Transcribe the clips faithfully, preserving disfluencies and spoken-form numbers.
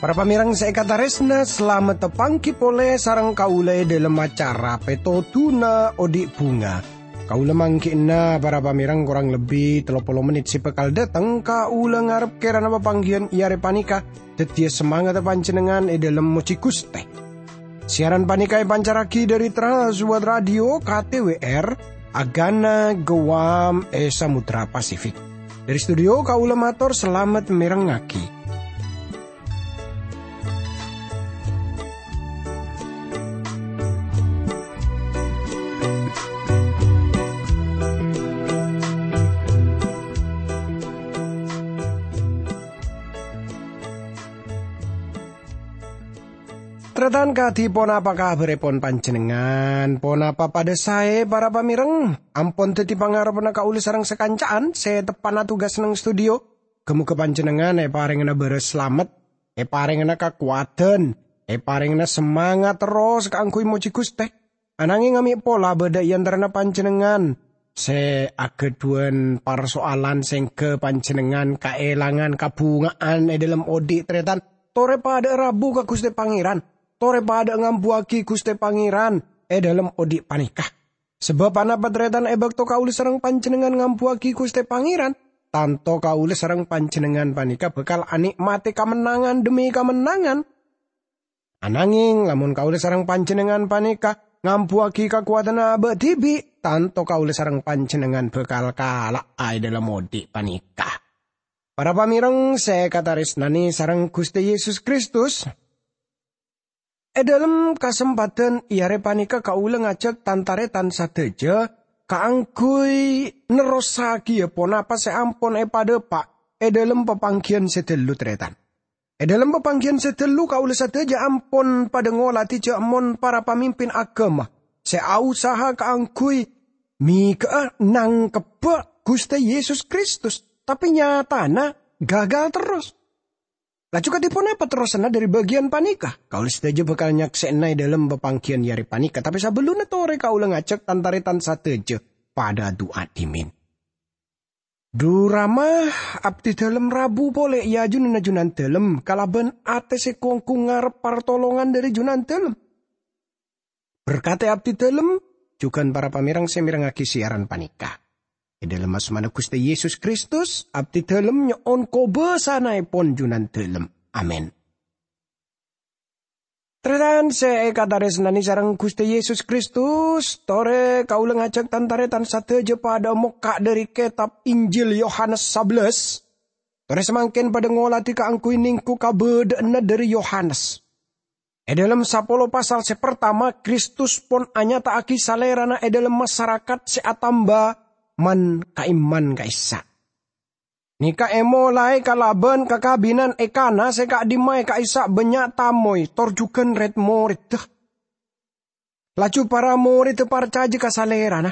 Para pamèrèng sè èkatarèsna, salamet tapangghi polè sareng kaulâ è dhâlem acara Pètodhuna Odi' Bhunga. Kaulâ mangghi'na para pamèrèng korang lebbi tello polo mennit sè bhâkal dâteng. Kaulâ ngarep kèrana papangghiyân è arè panèka dhâddhiyâ samangatta panjhennengngan è dhâlem mojhi Ghustè. Siaran panèka èpancarraghi dhâri Trans World Radio K T W R, Agana Guam è Samudra Pasifik. Dhâri studio kaulâ mator salamet mèrengngaghi. Tarètan kadhi ponapa kabhârèpon panjhennengngan? Ponapa padâ saè, para pamèrèng? Ampon dhâddhi pangarebbhânna kaulâ sareng sakanca'an sè teppa'na tugas neng studio. Ghâ-moghâ panjhennengngan èparèngana bârâs salamet, èparèngana kakowadhân, èparèngana samangat terros kaangghuy mojhi Ghustè. Anangèng amè' pola bâdâ è antarana panjhennengngan sè aghâdhuwân parsoalan sèngghâ panjhennengngan kaèlangan kabhunga'an è dhâlem odi', tarètan. Torè padâ'â rabu ka Ghustè Pangèran, torè padâ'â ngambuwâghi Ghustè Pangèran è dhâlem odi' panèka. Sabâb anapa, tarètan? È bâkto kaulâ sareng panjhennengngan ngambuwâghi Ghustè Pangèran, tanto kaulâ sareng panjhennengngan panèka bhâkal anè'matè kamennangan dhemmi kamennangan. Anangèng, lamon kaulâ sareng panjhennengngan panèka ngambuwâghi kakowadhânna abâ' dhibi', tanto kaulâ sareng panjhennengngan bhâkal kala'a è dhâlem odi' panèka. Para pamèrèng sè èkatarèsnanè sareng Ghustè Yesus Kristus, è dhâlem kasempadhân è arè panèka kaulâ ngajhâk tan-tarètan sadhâjâ kaangghuy nerrossaghiyâ ponapa sè ampon èpadhâpa' è dhâlem papangghiyân sè dâllu, tarètan. È dhâlem papangghiyân sè dâllu, kaulâ sadhâjâ ampon padâ ngolatè jhâ' mon para pamimpin aghâma sè ausaha kaangghuy mèghâ'â nangkebbhâ Ghustè Yesus Kristus, tapè nyatana gagal terros. Laju kadhi ponapa terrossanna dhâri bâgiyân panèka? Kaulâ sadhâjâ bhâkal nyaksè'ana è dhâlem papangghiyân è arè panèka, tapè sabellunna torè kaulâ ngajhâk tan-tarètan sadhâjâ padâ adu'a dhimèn. Dhu Rama, abdhi dhâlem rabu polè è ajunanna Junandhâlem kalabân atè sè gu-onggu ngarep partolongan dhâri Junandhâlem. Berkatè abdhi dhâlem, jhughân para pamèrèng sè mèrengngaghi siaran panèka. È dhâlem asmana Ghustè Yesus Kristus, abdhi dhâlem nyo'on kobâsanaèpon Junandhâlem. Amin. Tarètan sè èkatarèsnanè sareng Ghustè Yesus Kristus, torè kaulâ ngajhâk tan-tarètan sadhâjâ padâ mokka' dhâri kètab Injil Yohanes sabellâs. Torè samangkèn padâ ngolatè kaangghuy nèngghu kabâdâ'ânna dhâri Yohanes. È dhâlem sapolo pasal sè partama, Kristus pon anyata'aghi Salèrana è dhâlem masarakat sè atamba man-ka'imman ka'issa'. Nèka èmolaè kalabân kakabinan è Kana sè ka'dimmaè ka'issa' bânnya' tamoy tor jhughân rèd-morèdda. Laju para morèdda parcajâ ka Salèrana.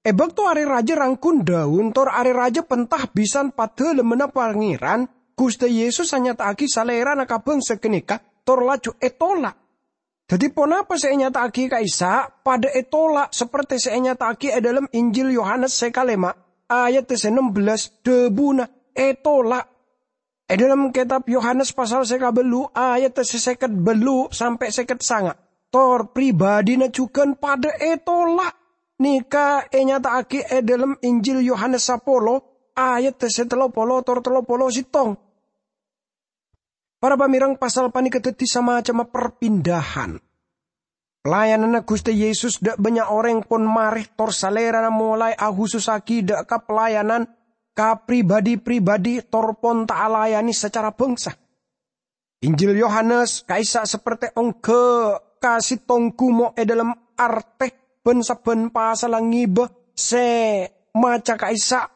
È bâkto arè rajâ rangghun dhâun tor arè rajâ penta bhisan Padâlemmanna Pangèran, Ghustè Yesus anyata'aghi Salèrana ka bhângsa ghânèka tor laju ètola'. Dhâddhi, ponapa sè ènyata'aghi ka'issa' padâ ètola' saperte sè ènyata'aghi è dhâlem Injil Yohanes sè kalèma', ayat sè nembellâs, dhâbuna, "Ètola'." È dhâlem kètab Yohanes pasal sè kabâllu', ayat sè sèket bâllu' sampè' sèket sanga', tor pribadhina jhughân padâ ètola'. Nèka ènyata'aghi è dhâlem Injil Yohanes sapolo, ayat sè tello polo tor tello polo sèttong. Para pamèrèng, pasal panèka dhâddhi samacemma perpindahan. Pelayananna Ghustè Yesus dâ' bânnya' orèng pon marè tor Salèrana molaè ahusussaghi dâ' ka pelayanan ka pribadhi-pribadhi tor pon ta' alayanè sacara bhângsa. Injil Yohanes ka'issa' saperte ongghâ ka sèttong ghumo' è dhâlem artè bân sabbhân pasalla ngibâ sè maca ka'issa'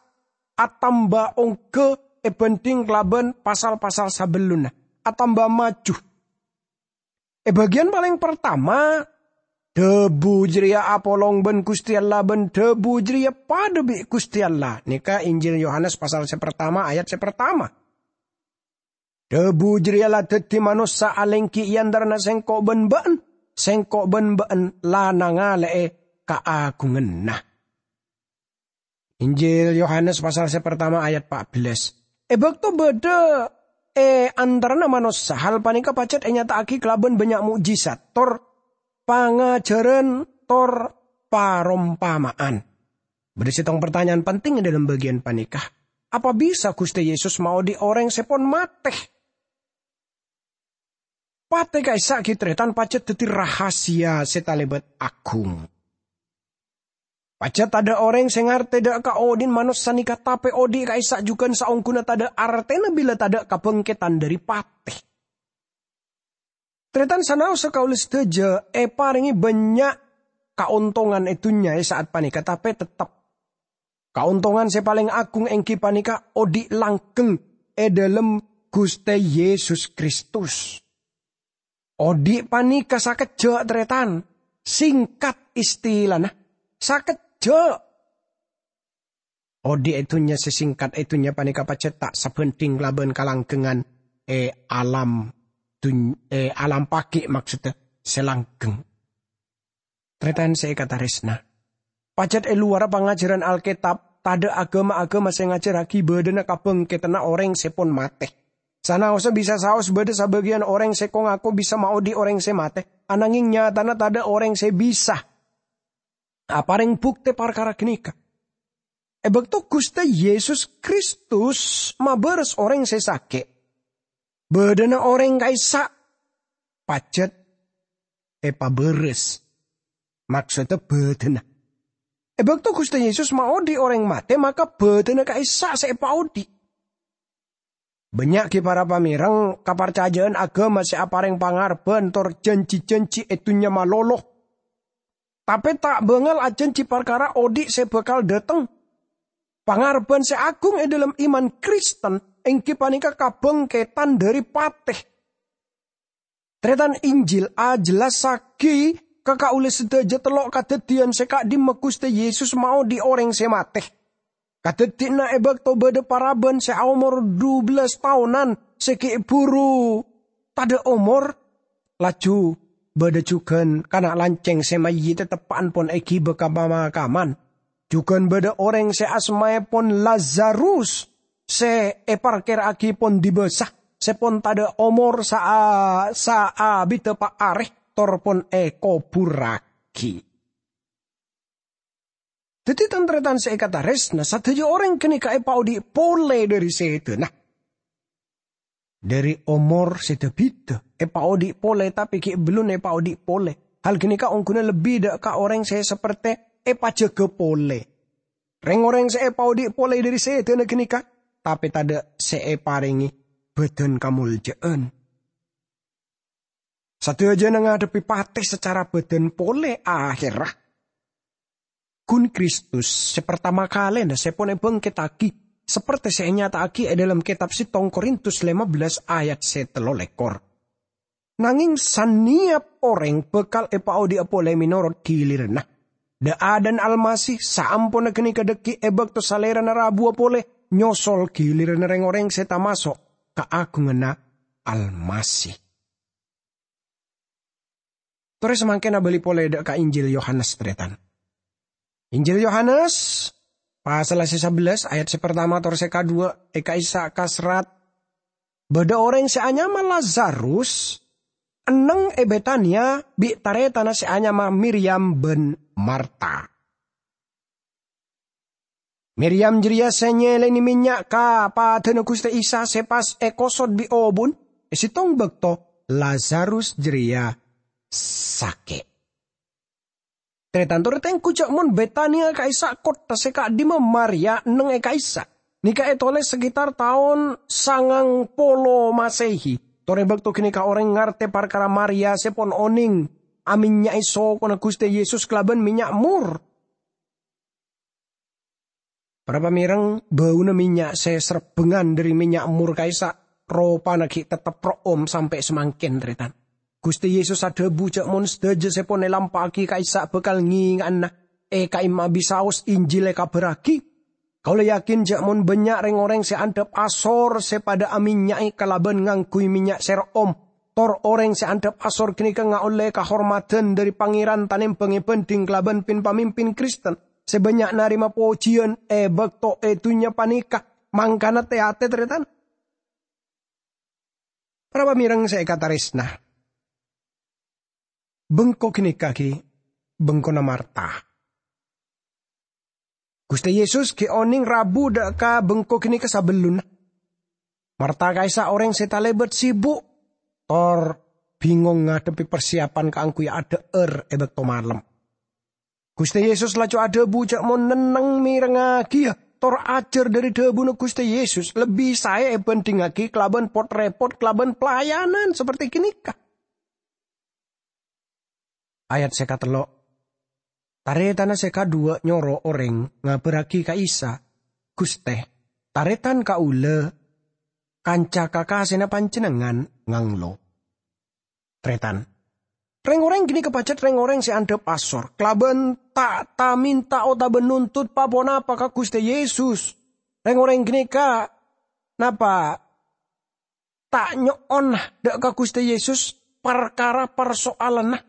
atamba ongghâ èbhândhing kalabân pasal-pasal sabellunna, atamba maju. È bâgiyân palèng partama, dhâbu jârèya apolong bân Ghustè Allah bân dhâbu jârèya padâ bi' Ghustè Allah. Nèka Injil Yohanes pasal sè partama, ayat sè partama. Dhabu jareya la daddi manossa alenggi e antarana sengko' ban ba'en, sengko' ban ba'en la nangale'e kaagunganna. Injil Yohanes pasal se partama ayat empat belas. E bakto badha e antarana manossa, hal paneka pajat enyata'agi kalaban bannya' mo'jizat, tor pangajaran, tor parompama'an. Badha settong partanyaan penting e dhalem bagiyan paneka. Apa bisa Guste Yesus maodhi' oreng se pon mate? Pate ka'issa' gi' taretan pajat daddi rahasia se talebat agung. Pajat tadha' oreng se ngarte dha' ka odhi'na manossa neka, tape odhi' ka'issa' jugan saongguna tadha' artena bila tadha' kabangketan dhari pate. Taretan sanaosa kaula sadaja eparenge bannya' kaontongan e dunnya e sa'at paneka, tape tettep kaontongan se paleng agung enggi paneka odhi' langgeng e dhalem Guste Yesus Kristus. Odhi' paneka sakejja', taretan, singkat istilana, sakejja'. Odhi' e dunnya se singkat e dunnya paneka pajat ta' sabanding kalaban kalanggengan e alam dun-, e alam pagi', maksodda, se langgeng. Taretan se ekataresna, pajat e lowarra pangajaran Alketab, tadha' agama-agama se ngajarragi badhana kabangketanna oreng se pon mate. Sanaosa bisa saos badha sabagiyan oreng se ko-ngako bisa maodhi' oreng se mate, anangeng nyatana tadha' oreng se bisa apareng bukte parkara ganeka. E bakto Guste Yesus Kristus mabaras oreng se sake', badhana oreng ka'issa' pajat epabaras, maksodda badhana. E bakto Guste Yesus maodhi' oreng mate, maka badhana ka'issa' se epaodhi'. Bannya' gi' para pamereng kaparcaja'an agama se apareng pangarebban tor janji-janji e dunnya malolo, tape ta' bangal ajanji parkara odhi' se bakal dhateng. Pangarebban se agung e dhalem iman Kristen enggi paneka kabangketan dhari pate. Taretan, Injil ajellassagi ka kaula sadaja tello' kadaddiyan se ka'dimma Guste Yesus maodhi' oreng se mate. Kadaddiyanna e bakto badha paraban se aomor dubellas taonan se gi' buru tadha' omor, laju badha jugan kana' lanceng se mayyit teteppa'an pon egiba ka pamakaman. Jugan badha oreng se asmaepon Lazarus se eparkera'agi pon dibasa, se pon tadha' omor saa-, saabidda pa' are, tor pon ekoburragi. Daddi, tan-taretan se ekataresna, sadaja oreng ganeka epaodhi' pole dhari sedana. Dhari omor se da-bida, epaodhi' pole, tape gi' bellunna epaodhi' pole. Hal ganeka ongguna lebbi dha' ka oreng se saperte epajaga pole. Reng-oreng se epaodhi' pole dhari sedana ganeka, tape tadha' se eparenge badan kamolja'an. Sadajana ngadhebbi pate sacara badan pole aherra. Gun Kristus se partama kalena se pon ebangkettagi, saperte se enyata'agi e dhalem Ketab Settong Korintus lema bellas ayat se tello lekor. Nangeng saneyap oreng bakal epaodhi'a pole menorot giliranna. Dha-adha'na Almasih saamponna ganeka dhaggi' e bakto Salerana rabuwa pole nyosol giliranna reng-oreng se tamaso' kaagunganna Almasih. Tore samangken abali pole dha' ka Injil Yohanes, taretan. Injil Yohanes, pasal se sabellas, ayat se partama tor se kadhuwa, e ka'issa' kaserrat, "Badha oreng se anyama Lazarus, enneng e Betania bi' taretanna se anyama Miryam ban Marta." Miryam jareya se nyelene mennya' ka padana Guste Isa se pas ekosot bi' obun e settong bakto Lazarus jareya sake'. Taretan, tore tenggu ja' mon Betania ka'issa' kottha se ka'dimma Maria enneng e ka'issa'. Neka etoles sekitar taon sangang polo Masehi. Tore bakto ganeka oreng ngarte parkara Maria se pon oneng amennya'e sokona Guste Yesus kalaban mennya' mur. Para pamereng, bauna mennya' se serebbengan dhari mennya' mur ka'issa' ropana gi' tettep ro'om sampe' samangken, taretan. Guste Yesus adhabu ja' mon sadaja se pon elampa'agi ka'issa' bakal ngenga'ana e ka'imma bisaos Injil ekabarragi. Kaulâ yakin jhâ' mon bânnya' rèng-orèng sè andhâp asor sè padhâ amènnya'è kalabân ngangghuy mènnya' sèr'om, tor orèng sè andhâp asor ghânèka ngaollè kahormadhân dhâri Pangèran tanèmbhâng èbhândhing kalabân pin-pamimpin Kristen sè bânnya' narèma pojhiyân è bâkto è dhunnya panèka. Mangkana, tè-atè, tarètan. Para pamèreng sè èkatarèsna, bengko ghânèka ghi' bengkona Marta. Ghustè Yesus ghi' onèng rabu dâ' ka bengko ghânèka sabellunna. Marta ka'issa' orèng sè talèbât sibuk, tor bhingong ngadhebbhi parsiyapan kaangghuy adhâ'âr è bâkto malem. Ghustè Yesus laju adhâbu jhâ' mon nenneng mèrengngagiyâ tor ajhâr dhâri dhâbuna Ghustè Yesus lebbi saè èbhândhingngaghi kalabân pot-rèpot kalabân pelayanan saperti ghânèka. Ayat sè katello'. Tarètanna sè kadhuwâ' nyoro orèng ngabârraghi ka Isa, "Ghustè, tarètan kaulâ, kanca kakasèna Panjhennengngan, nganglo." Tarètan. Rèng-orèng ghânèka pajhât rèng-orèng sè andhâp asor, kalabân ta'-, ta'-mènta otabâ nontot pa-ponapa ka Ghustè Yesus. Rèng-orèng ghânèka napa ta' nyo'on dâ' ka Ghustè Yesus parkara parsoalanna.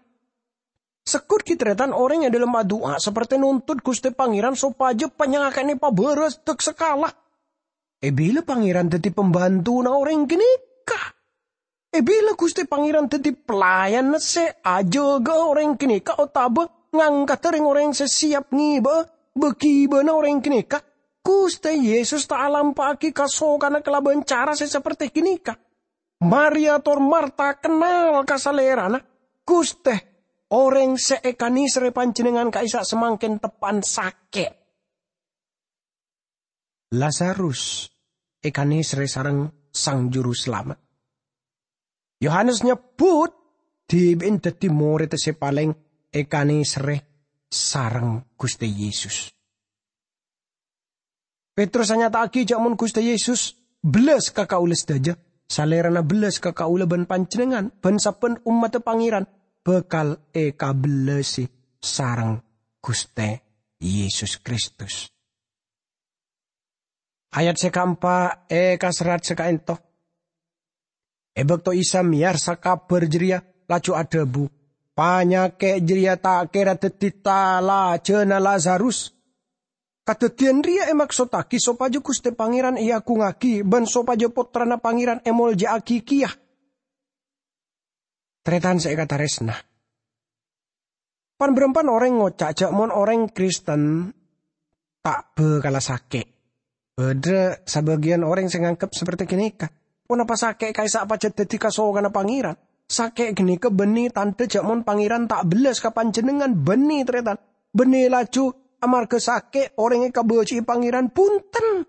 Segghut ghi' tarètan orèng è dhâlem adu'a saperti nontot Ghustè Pangèran sopajâ panyakè'na èpabârâs dâk sakala. È bilâ Pangèran dhâddhi pambhantona orèng ghânèka? È bilâ Ghustè Pangèran dhâddhi pelayanna sè ajâgâ'â orèng ghânèka otabâ ngangkada rèng-orèng sè sèyap ngèbâ'â bâ-ghibâna orèng ghânèka? Ghustè Yesus ta' alampa'aghi kasokanna kalabân cara sè saperti ghânèka. Maria tor Marta kennal ka Salèrana, "Ghustè, orèng sè èkanèserrè Panjhennengngan ka'issa' samangkèn teppa'na sakè'." Lazarus èkanèserrè sareng Sang Jurusalamet. Yohanes nyebbhut dhibi'na dhâddhi morèdda sè palèng èkanèserrè sareng Ghustè Yesus. Petrus anyata'aghi jhâ' mon Ghustè Yesus bellas ka kaulâ sadhâjâ, Salèrana bellas ka kaulâ bân panjhennengngan, bân sabbhân ommaddhâ Pangèran bhâkal èkabellasi sareng Ghustè Yesus Kristus. Ayat sè kaempa' èkaserrat sè ka'ènto. È bâkto Isa mèyarsa kabhâr jârèya, laju adhâbu, "Panyakè' jârèya ta' kèra dhâddhi talajâna Lazarus." Kadhâddhiyân rèya èmaksottaghi sopajâ Ghustè Pangèran èagungngaghi bân sopajâ Pottrana Pangèran èmoljâ'aghi kèya. Tarètan sè èkatarèsna. Pan-bârâmpan orèng ngoca' jhâ' mon orèng Kristen ta' bhâkalla sakè'. Bâdâ sabâgiyân orèng sè nganggep saperti ghânèka, "Ponapa sakè' ka'issa' pajhât dhâddhi kasokanna Pangèran? Sakè' ghânèka bânnè tandhâ jhâ' mon Pangèran ta' bellas ka panjhennengngan." Bânnè, tarètan. Bânnè laju amarghâ sakè' orèng èkabâji'i Pangèran, bhunten.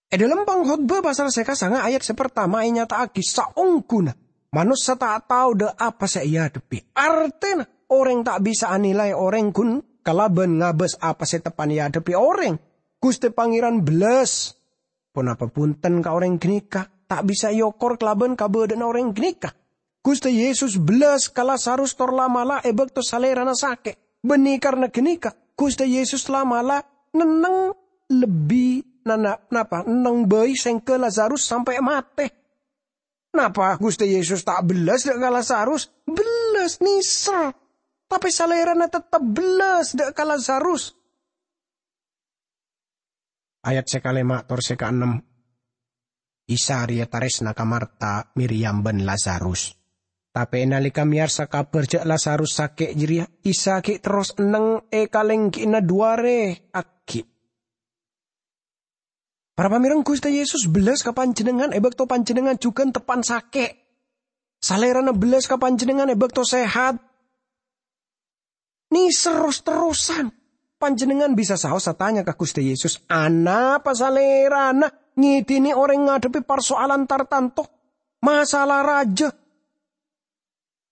È dhâlem Pangkhotbah pasal sè kasanga ayat sè partama ènyata'aghi saongghuna manossa ta' tao dâ' apa sè èadhebbhi. Artèna, orèng ta' bisa anilai orèng ghun kalabân ngabâs apa sè teppa'na èadhebbhi orèng. Ghustè Pangèran bellas. Ponapa bhunten ka orèng ghânèka? Ta' bisa èokor kalabân kabâdâ'ânna orèng ghânèka. Ghustè Yesus bellas ka Lazarus tor la'-mala' è bâkto Salèrana sakè'. Bânnè karna ghânèka, Ghustè Yesus la'-mala' nenneng lebbi nana-, napa, nenneng bhâi sèngghâ Lazarus sampè' matè. Napa Ghustè Yesus ta' bellas dâ' ka Lazarus? Bellas, nèser. Tapè Salèrana teptep bellas dâ' ka Lazarus. Ayat sè kalèma' tor sè kaennem. Isa rèya tarèsna ka Marta, Miryam, bân Lazarus. Tapè nalèka mèyarsa kabhâr jhâ' Lazarus sakè' jârèya, Isa ghi' terros enneng è kalènggi'na dhu arè aghi'. Para pamèreng, Ghustè Yesus bellas ka panjhennengngan è bâkto panjhennengngan jhughân teppa'na sakè'. Salèrana bellas ka panjhennengngan è bâkto sehat. Nèser ros-terrosan. Panjhennengngan bisa saos atanya ka Ghustè Yesus, "Anapa Salèrana ngèdhinè orèng ngadhebbhi parsoalan tartanto, masalah rajâ?"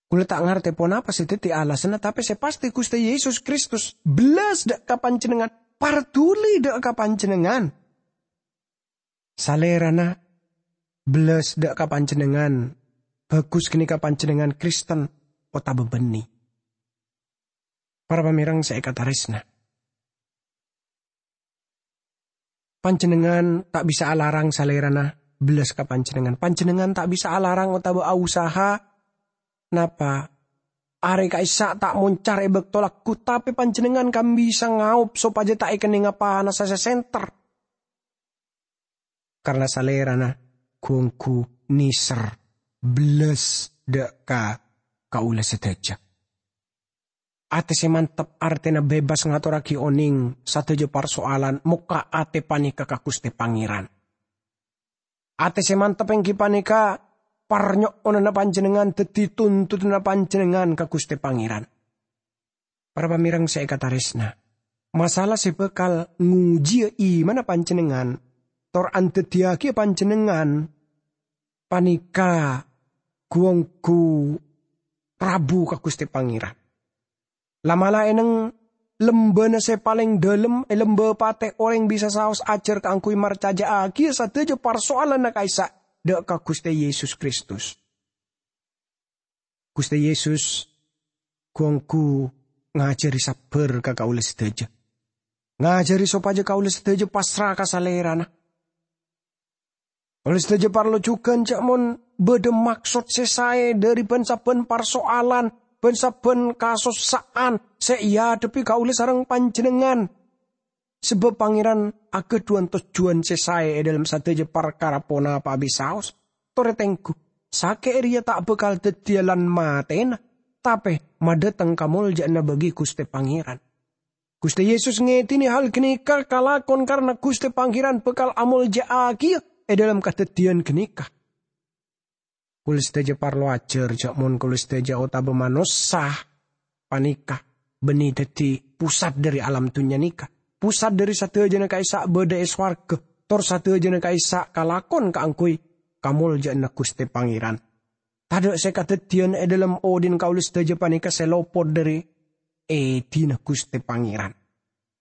Kaulâ ta' ngartè ponapa sè dhâddhi alasanna, tapè sè pastè Ghustè Yesus Kristus bellas dâ' ka panjhennengngan, parduli dâ' ka panjhennengngan. Salèrana bellas dâ' ka panjhennengngan, bhâghus ghânèka panjhennengngan Kristen otabâ bânnè. Para pamèreng sè èkatarèsna. Panjhennengngan ta' bisa alarang Salèrana bellas ka panjhennengngan. Panjhennengngan ta' bisa alarang otabâ ausaha napa arè ka'issa' ta' moncar è bâkto lagghu, tapè panjhennengngan kan bisa ngaop sopajâ ta' èkennènga panassa sè sènter. Karna Salèrana ghu-ongghu nèser bellas dâ' ka kaulâ sadhâjâ. Atè sè mantep artèna bebas ngatorraghi onèng sadhâjâ parsoalan. Mokka' atè panèka ka Ghustè Pangèran. Atè sè mantep èngghi panèka parnyo'onanna panjhennengngan, dhâddhi tuntutanna panjhennengngan ka Ghustè Pangèran. Para pamèreng sè èkatarèsna, masala sè bhâkal ngojiyâ imanna panjhennengngan tor andhâddhiyâghi panjhennengngan panèka ghu-ongghu rabu ka Ghustè Pangèran. La'-mala' è neng lembâna sè palèng dhâlem, è lembâ patè, orèng bisa saos ajhâr kaangghuy marcajâ'âghiyâ sadhâjâ parsoalanna ka'issa' dâ' ka Ghustè Yesus Kristus. Ghustè Yesus ghu-ongghu ngajhâri sabbhâr ka kaulâ sadhâjâ. Ngajhâri sopajâ kaulâ sadhâjâ pasra ka Salèrana. Kaulâ sadhâjâ parlo jhughân jhâ' mon bâdâ maksod sè saè dhâri bân-sabbhân parsoalan, bân-sabbhân kasossa'an sè èadhebbhi kaulâ sareng panjhennengngan. Sabâb Pangèran aghâdhuwân tojjhuwân sè saè è dhâlem sadhâjâ parkara ponapa'a bisaos. Torè tengghu, sakè' rèya ta' bhâkal dhâddhiyâ lan matèna, tapè madhâteng kamoljâ'ânna bagi Ghustè Pangèran. Ghustè Yesus ngèdhinè hal ghânèka kalakon karna Ghustè Pangèran bhâkal amoljâ'âghiyâ è dhâlem kadhâddhiyân ghânèka. Kaulâ sadhâjâ parlo ajhâr jhâ' mon kaulâ sadhâjâ otabâ manossa panèka bânnè dhâddhi pusat dhâri alam dhunnya nèka, pusat dhâri sadhâjâna ka'issa' bâdâ è sowarghâ, tor sadhâjâna ka'issa' kalakon kaangghuy kamoljâ'ânna Ghustè Pangèran. Tadâ' sè kadhâddhiyân è dhâlem odhi'na kaulâ sadhâjâ panèka sè lopot dhâri èdhina Ghustè Pangèran.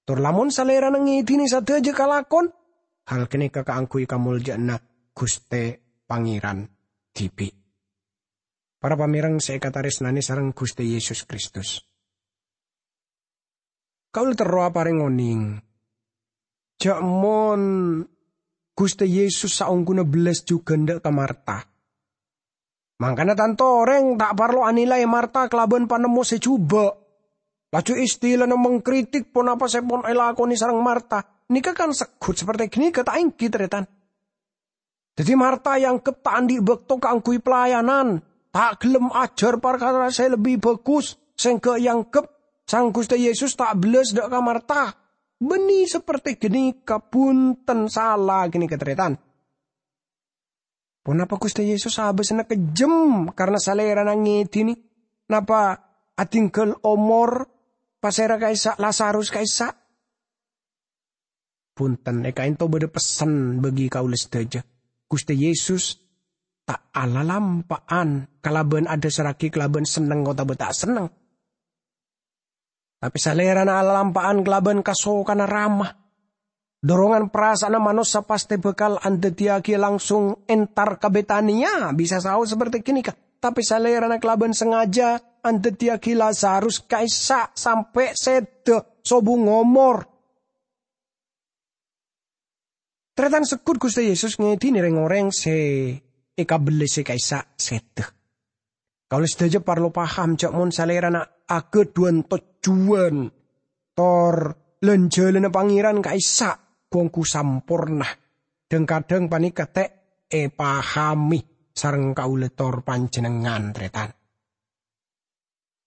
Tor lamon Salèrana ngèdhinè sadhâjâ kalakon, hal ghânèka kaangghuy kamoljâ'ânna Ghustè Pangèran dhibi'. Para pamèreng sè èkatarèsnanè sareng Ghustè Yesus Kristus. Kaulâ terro aparèng onèng, jhâ' mon Ghustè Yesus saongghuna bellas jhughân dâ' ka Marta. Mangkana tanto orèng ta' parlo anilai Marta kalabân panemmo sè jhubâ'. Laju istilana mangkritik ponapa sè pon èlakonè sareng Marta. Nèka kan segghut saperte ghânèka, ta' ènggi, tarètan? Dhâddhi Marta èangghep ta' andi' bâkto kaangghuy pelayanan, ta' ghellem ajhâr parkara sè lebbi bhâghus, sèngghâ èangghep Sang Ghustè Yesus ta' bellas dâ' ka Marta. Bânnè saperte ghânèka, bhunten, sala ghânèka, tarètan. Ponapa Ghustè Yesus abâsana kejjhem karna Salèrana ngèdhinè napa adhingghâl omor pasèra ka'issa', Lazarus ka'issa'? Bhunten, è ka'ènto bâdâ pessen bagi kaulâ sadhâjâ. Ghustè Yesus ta' alalampa'an kalabân adhâsarraghi kalabân senneng otabâ ta' senneng. Tapè Salèrana alalampa'an kalabân kasokanna Rama. Dorongan parasa'anna manossa pastè bhâkal andhâddhiyâghi langsung entar ka Betania, bisa saos saperte ghânèka. Tapè Salèrana kalabân sangajâ andhâddhiyâghi Lazarus ka'issa' sampè' sèdhâ sobung omor. Tarètan, segghut Ghustè Yesus ngèdhinè rèng-orèng sè èkabellasè ka'issa' sèdhâ. Kaulâ sadhâjâ parlo paham jhâ' mon Salèrana aghâdhuwân tojjhuwân, tor lan-jhâlânna Pangèran ka'issa' ghu-ongghu samporna. Dhâng-kadhâng panèka ta' èpahamè sareng kaulâ tor panjhennengngan, tarètan.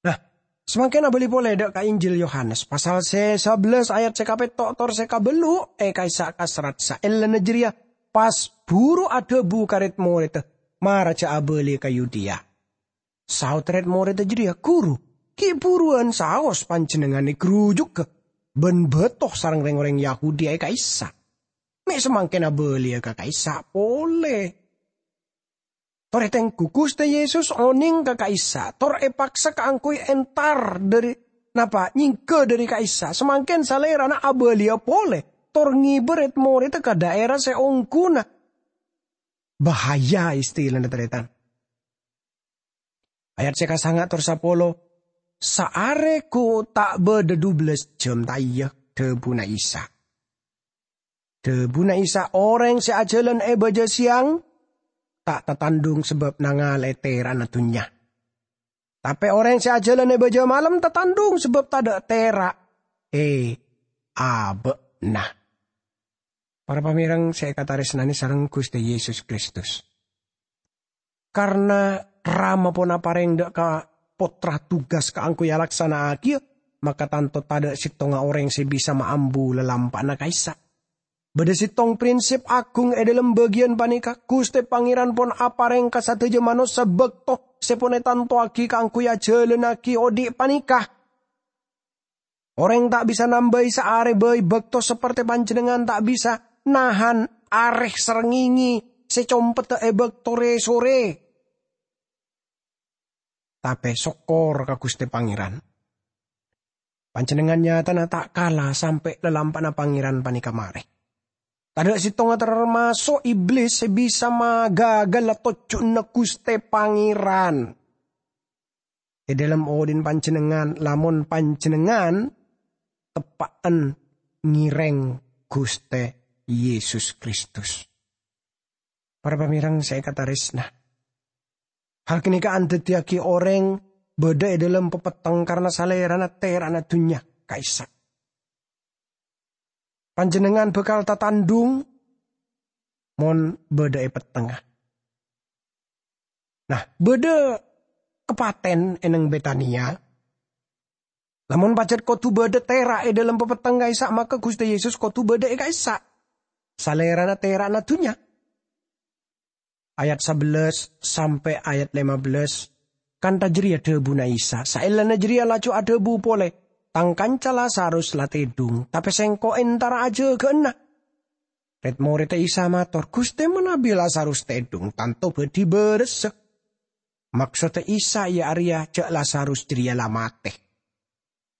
Nah, samangkèn abâli polè dâ' ka Injil Yohanes, pasal sè sabellâs ayat sè kapètto' tor sè kabâllu' è ka'issa' kaserrat saellana jârèya, pas buru adhâbu ka rèd-morèdda, "Mara jhâ' abâli ka Yudea." Saod rèd-morèdda jârèya, "Ghuru, ghi' buruwân saos panjhennengngan èghrujugghâ bân bâto sareng rèng-orèng Yahudi è ka'issa'. Mè' samangkèn abâliyâ ka ka'issa' polè." Torè tengghu, Ghustè Yesus onèng ka ka'issa', tor èpaksa kaangghuy entar dhâri, napa, nyèngghâ dhâri ka'issa'. Samangkèn Salèrana abâliyâ polè, tor ngibâ rèd-morèdda ka dhaèra sè ongghuna. Bahaya istilana, tarètan. Ayat sè kasanga' tor sapolo, "Saarè ghu ta' bâdâ dubellâs jhâm, ta' iyâ?" dhâbuna Isa. Dhâbuna Isa, "Orèng sè ajhâlân è bâjâ sèyang ta' tatandhung sabâb nangale'è tèra'na dhunnya. Tapè orèng sè ajhâlân è bâjâ malem tatandhung sabâb tadâ' tèra' è abâ'na." Para pamèreng sè èkatarèsnanè sareng Ghustè Yesus Kristus. Karna Rama pon aparèng dâ' ka Pottra tugas kaangghuy alaksana'aghiyâ, maka tanto tadâ' sèttonga orèng sè bisa maambu lalampa'na ka'issa'. Bâdâ sèttong prinsip aghung è dhâlem bâgiyân panèka. Ghustè Pangèran pon aparèng ka sadhâjâ manossa bâkto sè pon ètantowaghi kaangghuy ajhâlânnaghi odi' panèka. Orèng ta' bisa nambâi saarè bhâi bâkto, saperte panjhennengngan ta' bisa nahan arè srengngengè sè compedda è bâkto rè-sorè. Tapè sokkor ka Ghustè Pangèran. Panjhennengngan nyatana ta' kala sampè' lalampa'na Pangèran panèka marè. Tadâ' sèttonga, termaso' Iblis, sè bisa magagalla tojjhuna Ghustè Pangèran è dhâlem odhi'na panjhennengngan, lamon panjhennengngan teppa'an ngèrèng Ghustè Yesus Kristus. Para pamèreng sè èkatarèsna, hal ghânèka andhâddhiyâghi orèng bâdâ è dhâlem papetteng karna salèrana tèra'na dhunnya ka'issa'. Panjhennengngan bhâkal tatandhung mon bâdâ è pettengnga. Nah, bâdâ kapatèn è neng Betania. Lamon pajhât kodhu bâdâ tèra' è dhâlem papetteng ka'issa', maka Ghustè Yesus kodhu bâdâ è ka'issa'. Salèrana tèra'na dhunnya. Ayat sabellâs sampè' ayat lèma bellâs, kantha jârèya dhâbuna Isa. Saellana jârèya laju adhâbu polè, "Tang kanca Lazarus la tèdhung, tapè Sèngko' entara ajâgâ'âna." Rèd-morèdda Isa mator, "Ghustè, manabi Lazarus tèdhung, tanto bâdhi bârâssa." Maksodda Isa iyâ arèya jhâ' Lazarus jârèya la matè.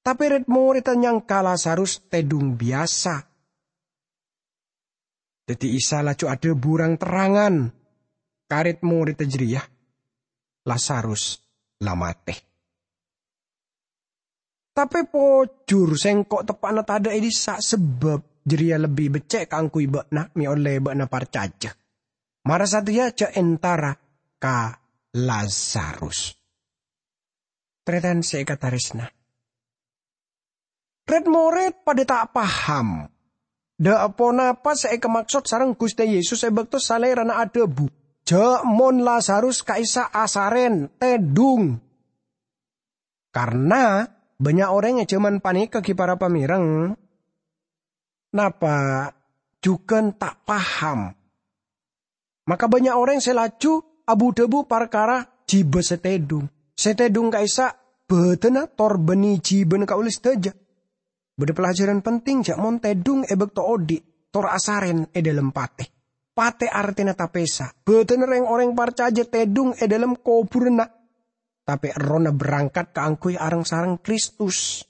Tapè rèd-morèdda nyangka Lazarus tèdhung biyasa. Dhâddhi Isa laju adhâbu rang-terrangan ka rèd-morèdda jârèya, "Lazarus la matè. Tapè pojhur Sèngko' teppa'na tadâ' è dissa', sabâb jârèya lebbi beccè' kaangghuy bâ'na, mè' ollè bâ'na parcajâ. Mara satèya jhâ' entara ka Lazarus." Tarètan sè èkatarèsna, rèd-morèd padâ ta' paham dâ' ponapa sè èkamaksod sareng Ghustè Yesus è bâkto Salèrana adhâbu, "Jhâ' mon Lazarus ka'issa' asarèn, tèdhung." Karna bânnya' orèng è jhâman panèka, ghi para pamèreng, napa jhughân ta' paham. Maka bânnya' orèng sè laju abu-dhâbu parkara jiba sè tèdhung. Sè tèdhung ka'issa' bhâdhânna tor bânnè jibana kaulâ sadhâjâ. Bâdâ pelajaran penting jhâ' mon tèdhung è bâkto odi', tor asarèn è dhâlem patè. Patè artèna tapèsa. Bhâdhânna rèng-orèng parcajâ tèdhung è dhâlem kobhurânna, tapè errohna berangkat kaangghuy areng-sareng Kristus.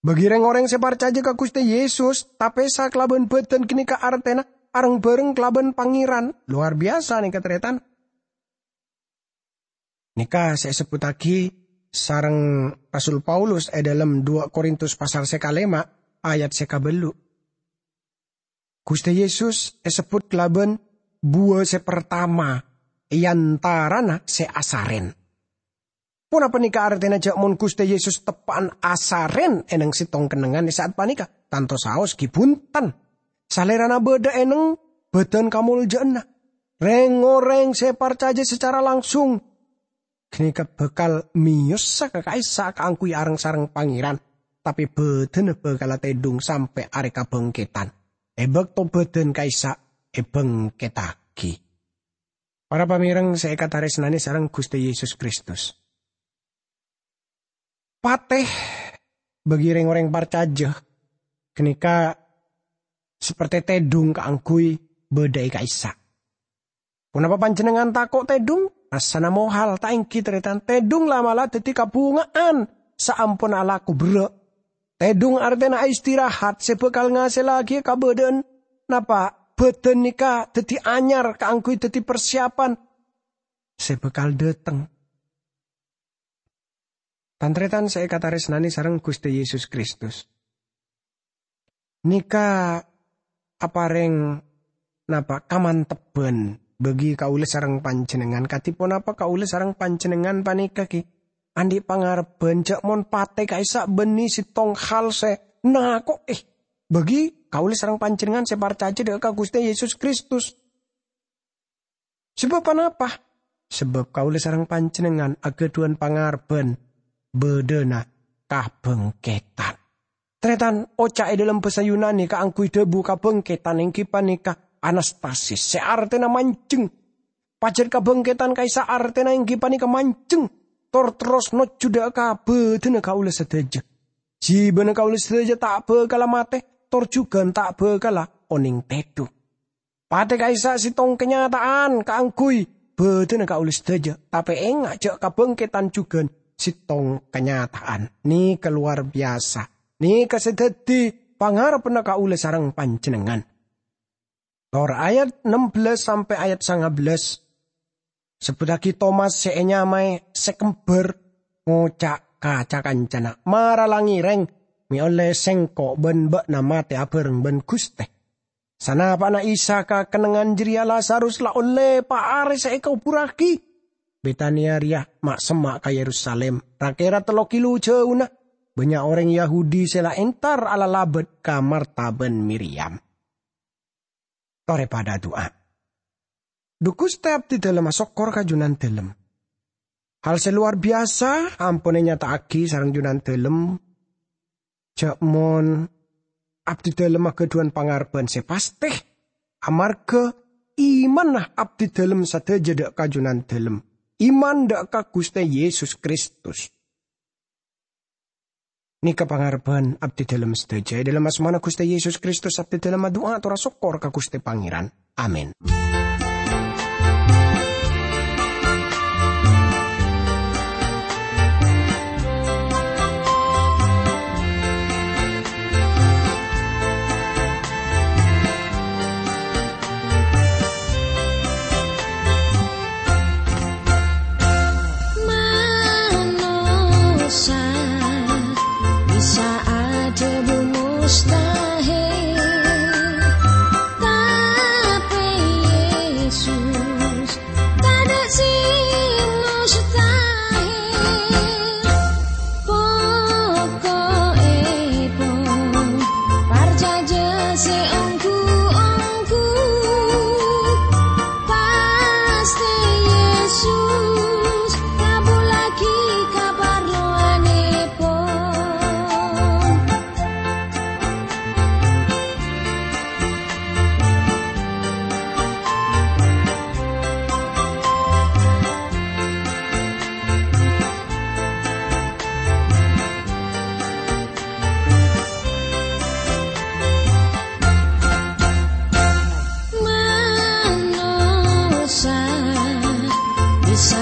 Bagi rèng-orèng sè parcajâ ka Ghustè Yesus, tapèsa kalabân bhâdhân ghânèka artèna areng-bhâreng kalabân Pangèran. Lowar biyasa nèka, tarètan. Nèka sè èsebbhuttaghi sareng Rasul Paulus è dhâlem dua Korintus pasal sè kalèma' ayat sè kabâllu'. Ghustè Yesus èsebbhut kalabân buwâ sè partama è antarana sè asarèn. Ponapa nèka artèna jhâ' mon Ghustè Yesus teppa'an asarèn è neng sèttong kennengngan è sa'at panèka? Tanto saos ghi bhunten. Salèrana bâdâ è neng bhâdhân kamoljâ'ânna. Rèng-orèng sè parcajâ sacara langsung ghânèka bhâkal mèyosa ka ka'issa' kaangghuy areng-sareng Pangèran, tapè bhâdhânna bhâkala tèdhung sampè' arè kabhângkèdhân, è bâkto bhâdhân ka'issa' èbhângkèdhâghi. Para pamèreng sè èkatarèsnanè sareng Ghustè Yesus Kristus. Patè bagi rèng-orèng parcajâ ghânèka saperte tèdhung kaangghuy bâdâ è ka'issa'. Ponapa panjhennengngan tako' tèdhung? Rassana mohal, ta' èngghi, tarètan? Tèdhung la'-mala' dhâddhi kabhunga'an saamponna alako berrâ'. Tèdhung artèna istirahat sè bhâkal ngasèllaghi kabâdâ'ân. Napa? Bhâdhân nèka dhâddhi anyar kaangghuy dhâddhi parsiapan sè bhâkal dhâteng. Tan-tarètan sè èkatarèsnanè sareng Ghustè Yesus Kristus. Nèka aparèng napa, kamantebbhân bagi kaulâ sareng panjhennengngan. Kadhi ponapa kaulâ sareng panjhennengngan panèka ghi' andi' pangarebbhân jhâ' mon patè ka'issa' bânnè sèttong hal sè nako'è bagi kaulâ sareng panjhennengngan sè parcajâ dâ' ka Ghustè Yesus Kristus. Sabâb ponapa? Sabâb kaulâ sareng panjhennengngan aghâdhuwân pangarebbhân bâdâna kabhângkèdhân. Tarètan, oca' è dhâlem bhâsa Yunani kaangghuy dhâbu kabhângkèdhân èngghi panèka anastasis, sè artèna manjheng. Pajhât kabhângkèdhân ka'issa' artèna èngghi panèka manjheng, tor terros nojjhu dâ' ka bâdâna kaulâ sadhâjâ. Jhibâna kaulâ sadhâjâ ta' bhâkalla matè, tor jhughân ta' bhâkalla onèng tèdhung. Patè ka'issa' sèttong kanyata'an kaangghuy bâdâna kaulâ sadhâjâ, tapè enga' jhâ' kabhângkèdhân jhughân sèttong kanyata'an. Nèka lowar biyasa. Nèka sè dhâddhi pangarebbhânna kaulâ sareng panjhennengngan. Tor ayat ennem belas sampè' ayat sangang belas. Sebbhuttaghi Tomas sè ènyamaè sè kembhâr, ngoca' ka ca-kancana, "Mara la ngèrèng, mè' ollè sèngko' bân bâ'na matè abhâreng bân Ghustè." Sanapa'na Isa ka kennengngan jârèya, Lazarus la ollè pa' arè sè èkobhurraghi. Betania rèya ma'-semma' ka Yerusalim, ra-kèra tello kilo jhâuna. Bânnya' orèng Yahudi sè la entar alalabât ka Marta bân Miryam. Torè padâ adu'a. Dhu Ghustè, abdhidhâlem asokkor ka Jhunandhâlem. Hal sè lowar biyasa ampon ènyata'aghi sareng Jhunandhâlem. Jhâ' mon abdhidhâlem aghâdhuwân pangarebbhân sè pastè, amarghâ imanna abdhidhâlem sadhâjâ dâ' ka Jhunandhâlem, iman dâ' ka Ghustè Yesus Kristus. Nèka pangarebbhân abdhidhâlem sadhâjâ. È dhâlem asmana Ghustè Yesus Kristus, abdhidhâlem adu'a ator asokkor ka Ghustè Pangèran. Amin. Manossa bisa adhâbu mustahil, tapè Yesus tadâ' sè mustahil. Poko'èpon, parcajâ sè ongghu-ongghu, pastè Yesus ngabhullaghi kaparlowanèpon. Manossa bisa